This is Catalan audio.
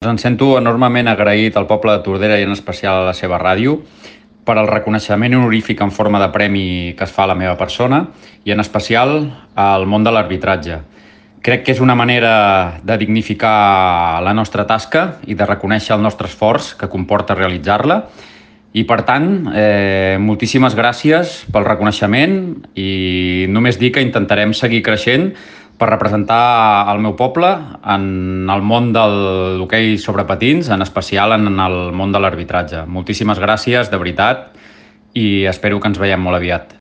Em sento enormement agraït al poble de Tordera i en especial a la seva ràdio per al reconeixement honorífic en forma de premi que es fa a la meva persona i en especial al món de l'arbitratge. Crec que és una manera de dignificar la nostra tasca i de reconèixer el nostre esforç que comporta realitzar-la. I per tant, moltíssimes gràcies pel reconeixement i només dir que intentarem seguir creixent per representar el meu poble en el món del hoquei sobre patins, en especial en el món de l'arbitratge. Moltíssimes gràcies, de veritat, i espero que ens veiem molt aviat.